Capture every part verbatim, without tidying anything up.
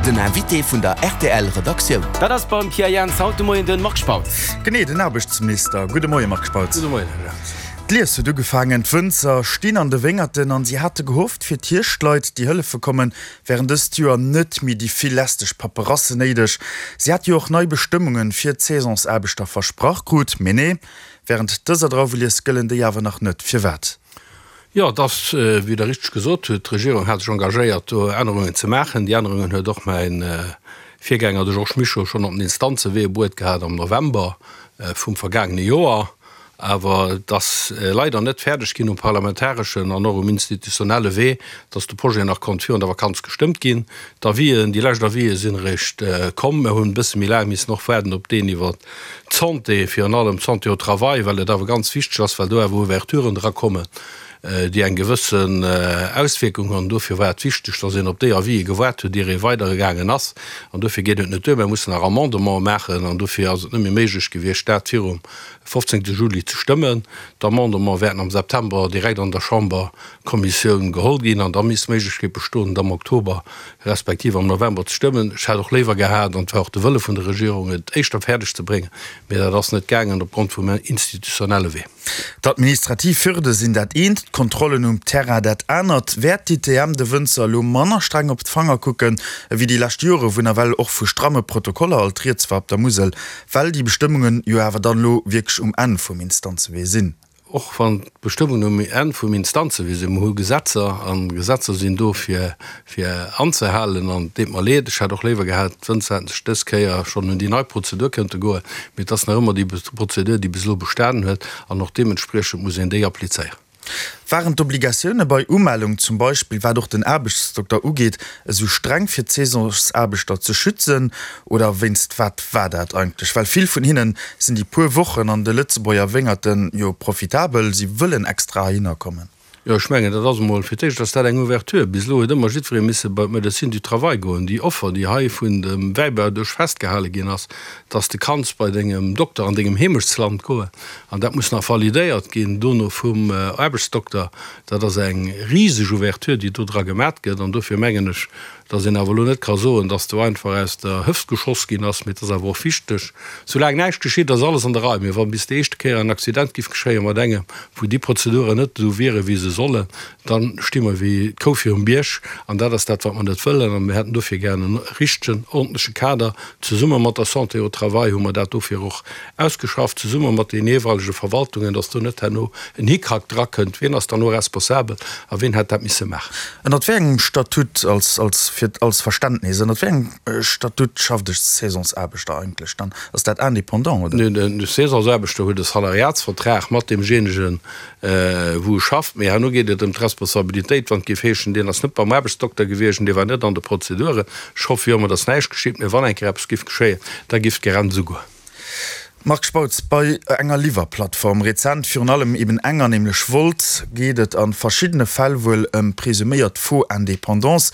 Den Invité vun der R T L Redaktioun. Dat ass beim Pierre Jans haut de Moien den Marc Spautz. Genee, den Aarbechtsminister. Gudde Moie Marc Spautz. Gudde Moien, Här Jans. D'Lies huet ugefaangen, d'Wënzer stinn an de Wéngerten an si hate gehofft, fir d'Hierschtleit, déi hëllefe kommen, wären dëst Joer net méi déi vill lästeg Paperassen néideg. Si hate jo och nei Bestëmmunge fir d'Saisonsaarbechter versprach krut. Mee nee, wärend dëser Drauwelies gëllen déi awer nach net. Firwat? Jo, et ass, wéi Der richteg gesot hutt, d'Regierung hat sech engagéiert, do Ännerungen ze maachen. Déi Ännerungen huet och mäin Virgänger, de Georges Mischo, schonn op den Instanzewee bruet gehat am November vum vergaangene Joer. Awer et ass leider net fäerdeg ginn um parlamentareschen an och um institutionelle Wee, dass de Projet nach konnt virun der Vakanz gestëmmt ginn. D'Avisen, déi lescht Avisen sinn eréischt komm. Mir hunn e bësse méi laang missen och waarden op deen iwwert d'Santé, virun allem d'Santé au travail, well et awer ganz wichteg ass, well do awer Ouverturen drakommen, déi eng gewëssen Auswierkung hunn. Dofir war et wichteg, dass een op déi Avisen gewaart huet, ier ee weidergaangen ass. An dofir geet et net duer, mir mussen nach Amendementen maachen an dofir ass et net méi méiglech gewiescht, dat virum fofzéngte Juli ze stëmmen. D'Amendementen wäerten am September direkt an der Chamberkommissioun geholl ginn an da misst d'Méiglechkeet bestoen, et am Oktober respektiv am November ze stëmmen. Ech hätt och léiwer gehat, an et war och de Wëlle vun der Regierung, et éischter fäerdeg ze bréngen, mee dat ass net gaangen opgrond vum institutionelle Wee. D'administrativ Hürde sinn dat eent, d'Kontrollen um Terrain dat anert. Wäert d'I T M de Wënzer elo manner streng op d'Fanger kucken ewéi déi lescht Jore, wou nawell och vu stramme Protokoller alt rieds war op der Musel, well déi Bestëmmungen jo awer dann elo wierklech um Enn vum Instanzewee sinn? Och wann d'Bestëmmungen um Enn vum Instanzewee sinn, mir hu Gesetzer an Gesetzer sinn do fir fir anzehalen an et deet mer leed, ech hätt och léiwer gehat, d'Wënzer hätten sech dës Kéier schonn un déi nei Prozedur kënnte goen, mee et ass nach ëmmer déi Prozedur, déi bis elo bestanen huet an och deementspriechend muss een déi applizéieren. Waren d'Obligatioune bei Umellung, zum Beispill wat och den Aarbechtsdokter ugeet, esou streng fir d'Saisonsaarbechter ze schützen oder wéinst wat war dat eigentlech? Well vill vun hinnen sinn déi puer Wochen an de Lëtzebuerger Wéngerten jo profitabel, si wëllen extra heihinner kommen. Jo, ech mengen, dat ass emol, fir d'éischt ass dat eng Ouverture. Bis elo huet ëmmer jiddweree misse bei d'Médecine du travail goen. Déi Offer, déi hei vun dem Wäibau duerch festgehale ginn ass, dass de kanns bei dengem Dokter an dengem Heemechtsland goen, an dat muss nach validéiert ginn dono vum Aarbechtsdokter, dat ass eng riseg Ouverture, déi do dra gemat gëtt. An dofir mengen ech, dass een awer elo net ka soen, dass do einfach aus der Hëft geschoss ginn ass, mee et ass awer och wichteg, soulaang näischt geschitt, ass alles an der Rei, mee wa bis déi éischte Kéier en Accident giff geschéie mat engem, wou déi Prozeduren net esou wiere wéi se sollen, da sti mer wéi d'Kou virum Bierg an dat ass dat, wat mer net wëllen. A mir hätten dofir gären e richtegen, ordentleche Kader. Zesumme mat der Santé au travail hu mer dat dofir och ausgeschafft, zesumme mat deene jeeweilege Verwaltungen, dass do net herno en Hickhack drakënnt, wien ass dann elo responsabel a wien hätt dat misse maachen. Ënnert wéi engem Statut, als, als, fir, als Verständnis, ënnert wéi engem Statut schafft e Saisonsaarbechter eigentlech dann? Ass dat indépendant, oder? Neen, de Saisonsaarbechter huet e Salariatsvertrag mat deemjéinegen, wou e schafft. Mee herno geet et ëm d'Responsabilitéit, wann et géif heeschen, deen ass net beim Aarbechtsdokter gewiescht an dee war net an de Prozeduren. Ech hoffe jo ëmmer, datt näischt geschitt, mee wann eng Kéier eppes géif geschéien, da géif d'Grenz ugoen. Marc Spautz, bei enger Liwwerplattform, rezent virun allem eben enger, nämlech Wolt, geet et a verschiddene Fäll wuel ëm presuméiert faux Indépendants,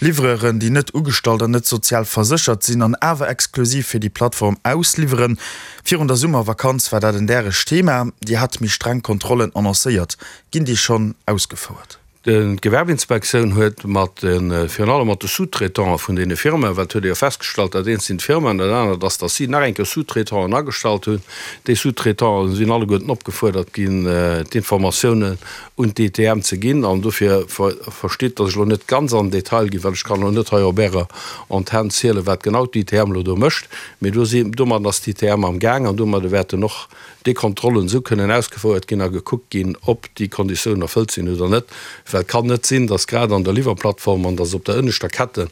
Livreuren, déi net ugestallt an net sozial verséchert sinn an awer exklusiv fir déi Plattform ausliwweren. Virun der Summervakanz war dat en däregt Thema. Dir hat méi streng Kontrollen annoncéiert. Ginn déi schonn ausgefouert? D'Gewerbeinspektioun huet mat de, virun allem mat de Sous-traitante vun deene Firmaen, well et huet ee jo festgestallt, dat eent sinn d'Firmaen, dat anert ass, datt si nach eng Kéier Sous-traitanten agestallt hunn. Déi Sous-traitanten sinn alleguerten opgefuerdert ginn, d'Informatiounen un d'I T M ze ginn. An dofir verstitt, datt ech elo net ganz an den Detail ginn, well ech kann elo net hei op Ärer Antenn zielen, wat genau d'I T M elo do mécht. Mee do si, domadden ass d'I T M am Gaang an domadde wäerten och déi Kontrollen esou kënnen ausgefouert ginn a gekuckt ginn, ob déi Konditiounen erfëllt sinn oder net. Well et kann net sinn, datt grad an der Liwwerplattform an datt op der ënneschter Kette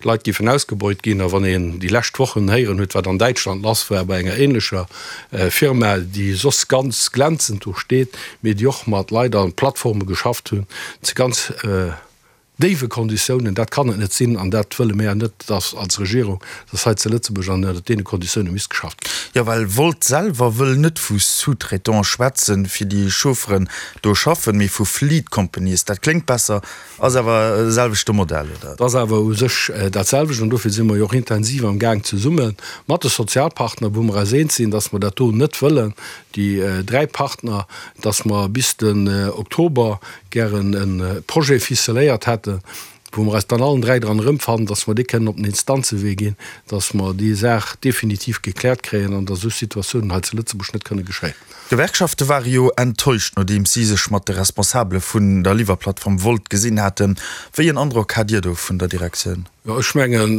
Leit géifen ausgebeut ginn. A wann een déi lescht Wochen héieren huet, wat an Däitschland lass war bei enger ähnlecher Firma, déi soss ganz glänzend do steet, mee déi och mat Leit an Plattforme geschafft hunn, zu ganz déiwe Konditiounen, dat kann et net sinn an dat wëlle mir net, dass als Regierung, dass hei zu Lëtzebuerg an ënnert deene Konditioune misst geschafft ginn. Jo, well Wolt selwer wëll net vu Sous-traitants schwätzen, fir déi Chaufferen do schaffen, mee vu Fleet Companies. Dat kléngt besser, ass awer e selwechte Modell, oder? Et ass awer u sech dat selwecht an dofir si mer jo och intensiv am Gaang zesumme mat de Sozialpartner, wou mer eis eens sinn, dass mer dat do net wëllen, déi dräi Partner, dass mer bis den Oktober gären e Projet ficeléiert hätten, wou mer eis dann allen dräi dran erëmfannen, dass mer déi kënnen op den Instanzewee ginn, dass mer déi Saach definitiv gekläert kréien an dass esou Situatiounen hei zu Lëtzebuerg net kënne geschéien. D'Gewerkschafte ware jo enttäuscht, nodeems si sech mat de Responsabele vun der Liwwerplattform Wolt gesinn haten. Wéi en Androck hat Dir do vun der Direktioun? Jo, ech mengen,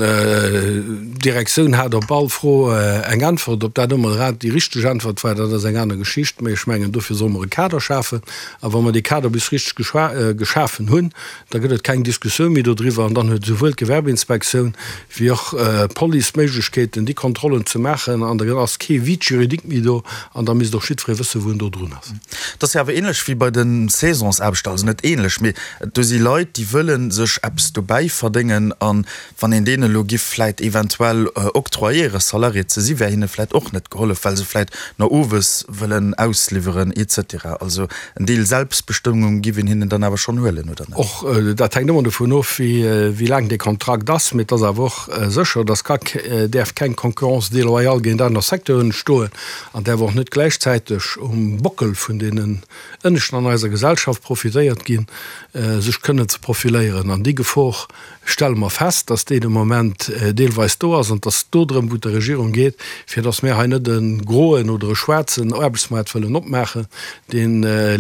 d'Direktioun hat op all Fro eng Äntwert. Ob dat ëmmer grad déi richteg Äntwert war, dat ass eng aner Geschicht. Mä ech mengen, dofir solle mer e Kader schafen. A wa mer dee Kader bis richteg geschafen hunn, da gëtt et keng Diskussioun méi dodriwwer. An dann huet esouwuel d'Gewerbeinspektioun wéi och d'Police d'Méiglechkeeten, déi Kontrollen ze maachen. An da ass kee Vide juridique méi do. An da misst och jiddweree wëssen, wou en do drun ass. Et ass jo awer ähnlech wéi bei de Saisonsaarbechter, also net ähnlech, mee do si Leit, déi wëlle sech eppes dobäi verdéngen an wann een deenen elo giff vläit eventuell octroyéieren, Salarié ze si, wär hinne vläit och net gehollef, well se vläit no owes wëllen ausliwweren et cetera. Also en Deel Selbstbestëmmung giff een hinnen dann awer schonn huelen, oder net? Och dat hänkt ëmmer dovun of, wéi laang dee Kontrakt ass. Mee et ass awer och sécher, dass ka däerf keng Concurrence déloyale géint aner Secteuren entstoen an däerf och net gläichzäiteg um Bockel vun deenen Ënneschten an eiser Gesellschaft profitéiert ginn, sech kënnen ze profiléieren. An déi Gefor stelle mer fest, dass déi de Moment deelweis do ass an dass do drëm, wou et der Regierung geet, fir dass mir hei net e groen oder e schwaarzen Aarbechtsmaart wëllen opmaachen, dee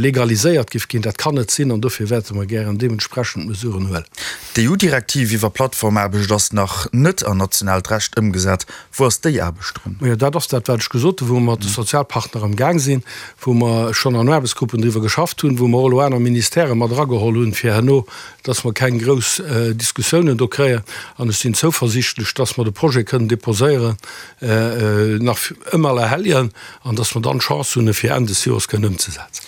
legaliséiert géif ginn. Dat kann net sinn an dofir wäerte mer gären deementsprechend Mesuren huelen. D'EU-Direktiv iwwer Plattformaarbecht ass nach net an nationaalt Recht ëmgesat. Wou ass déi Aarbecht drun? Majo, dat ass dat, wat ech gesot hunn, wou mer mat de Sozialpartner am Gaang sinn, wou mer schonn an Aarbechtsgruppen driwwer geschafft hunn, wou mer och elo aner Ministèrë mat erageholl hunn, fir herno, dass mer keng grouss Diskussiounen do kréien. An ech sinn zouversiichtlech, dass mer de Projet kënnen déposéieren nach ëm Allerhelljen an dass mer dann d'Chance hunn, e fir Enn des Joers kënnen ëmzesetzen.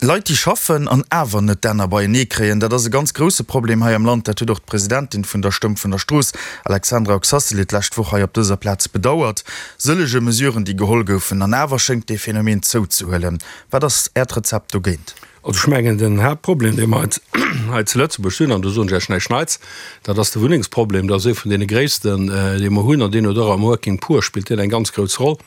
Leit, déi schaffen an awer net d'Enner beienee kréien, dat ass e ganz grousse Problem hei am Land. Dat huet och d'Presidentin vun der Stëmm vun der Strooss, Alexandra Oxacelay, d'lescht Woch hei op dëser Plaz bedauert. Sëllege Mesuren, déi geholl goufen, an awer schéngt dee Phänomen zouzehuelen. Wat ass Äert Rezept dogéint? Also ech mengen, den Haaptproblem, dee mer hei zu Lëtzebuerg hunn, an do soen ech Iech näischt Neits, dat ass de Wunnengsproblem. Dat ass ee vun deene gréissten, dee mer hunn, an deen huet och am Working Poor spillt deen eng ganz grouss Roll,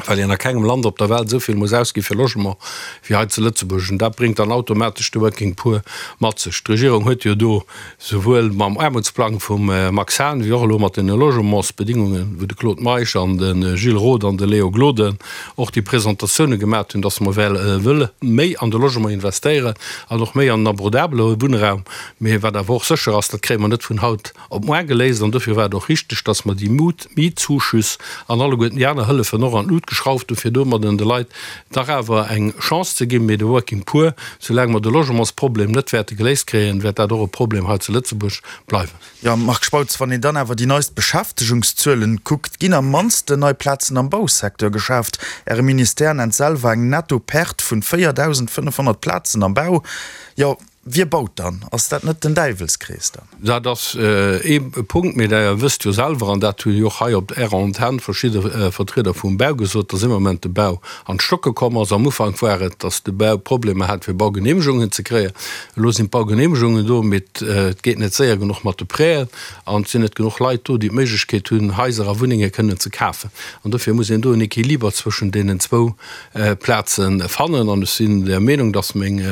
well een a kengem Land op der Welt esou vill muss ausgi fir Logement wéi hei zu Lëtzebuerg. An dat bréngt dann automatesch de Working Poor mat sech. D'Regierung huet jo do souwuel mam Aarmutsplang vum Max Hahn wéi och elo mat den Logementsbedingungen, wou de Claude Meisch an de Gilles Roth an de Léo Gloden och déi Presentatioune gemat hunn, dass mer wëlle méi an de Logement investéieren an och méi an den abordabele Wunnraum. Mee wat awer och sécher ass, dat kréie mer net vun haut op muar geléist. An dofir war et och richteg, dass mer déi Mietzuschüss an alleguerten déi aner Hëllefen och an d'Lut geschrauft hunn, fir domadden de Leit dach awer eng Chance ze ginn. Mee de Working Poor, soulaang mer de Logementsproblem net wäerte geléist kréien, wäert dat och e Problem hei zu Lëtzebuerg bleiwen. Jo, Marc Spautz, wann een dann awer déi neist Beschäftegungszuelen kuckt, ginn am mannsten nei Plazen am Bausecteur geschaaft. Äre Ministère nennt selwer eng Netto-Perte vun véierdausendfënnefhonnert Plazen am Bau. Jo, wie baut dann? Ass dat net den Däiwelskrees dann? Dat ass ee Punkt, mee Der wësst jo selwer, an dat hu jo och hei op Ärer Antenn verschidde Vertrieder vum Bau gesot, dass am Moment de Bau an d'Stocke komm ass. Am Ufank war et, dass de Bau Problemer hat, fir Baugenehmegungen ze kréien. Elo sinn d'Baugenehmegungen do, mee et geet net séier genuch mat de Prêten an et sinn net genuch Leit do, déi d'Méiglechkeet hunn, Haiser a Wunnenge kënnen ze kafen. An dofir muss een do en Equiliber zwëschen deenen zwou Plaze fannen. An ech sinn der Meenung, dass meng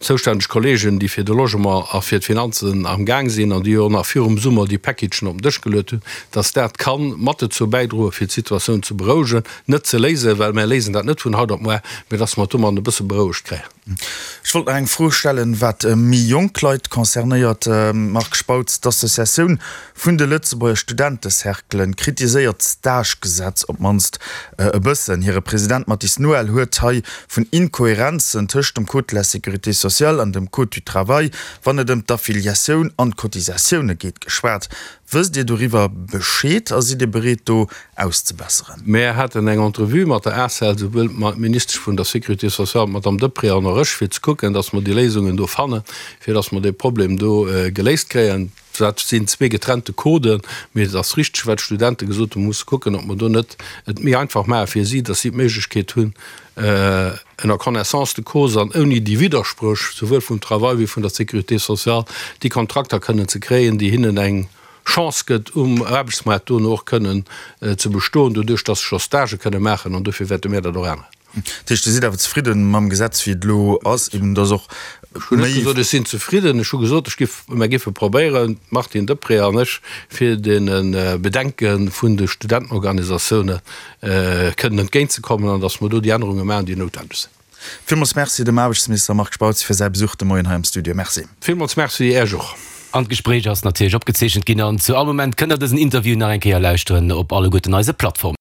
zoustänneg Kolleegen, déi fir de Logement a fir d'Finanzen am Gaang sinn an déi jo och nach virum Summer déi Packagen op den Dësch geluet hunn, dass dat ka mat dozou bäidroen, fir d'Situatioun ze berouegen, net ze léisen, well mär léisen dat net vun haut op muar, mä dass mer et domadden e bësse berouegt kréien. Ech wollt nach eng Fro stellen, wat méi jonk Leit concernéiert. Marc Spautz, d'Associatioun vun de Lëtzebuerger Studentecerclen kritiséiert d'Stage-Gesetz op d'mannst e bëssen. Hire President Mathis Noël huet hei vun Inkohärenzen tëscht dem Code de la sécurité sociale an dem Code du travail, wann et ëm d'Affiliatioun an d'Cotisatioune geet, geschwat. Wësst Dir doriwwer Bescheed a sidd Dir bereet do auszebesseren? Mär haten eng Entrevue mat der ACEL, souwuel d'Ministesch vun der Sécurité sociale, d'Madame Deprez, an och ech, fir ze kucken, datt mer déi Léisungen do fannen, fir datt mer dee Problem do geléist kréien. Dat sinn zwee getrennte Coden, mee et ass richteg, wat d'Studente gesot hunn, mer musse kucken, ob mer do net et méi einfach maache fir si, datt si d'Méiglechkeet hunn, en connaissance de cause an ouni déi Widderspréch, souwuel vum Travail wéi vun der Sécurité sociale, déi Kontrakter kënnen ze kréien, déi hinnen eng Chance gëtt, um Aarbechtsmaart dono och kënnen ze bestoen, doduerch datt se scho Stagë kënne maachen. An dofir wäerte mir dat och änneren. Dat heescht, Dir sidd awer zefridden mam Gesetz, wéi et elo ass, eben dass och Ech hunn net gesot, ech sinn zefridden. Ech hu gesot, ech giff, mer giffe probéieren, d'Martine Deprez an ech, fir deene Bedenke vun de Studentenorganisatioune kënnen entgéintzekommen an datt mer do déi Ännerunge maachen, déi noutwendeg sinn. Villmools Merci dem Aarbechtsminister Marc Spautz fir säi Besuch de Moien hei am Studio. Merci. Villmools Merci Iech och. An d'Gespréich ass natierlech opgezeechent ginn an zu all Moment kënnt der dësen Interview nach eng Kéier lauschteren op alleguerten eise Plattformen.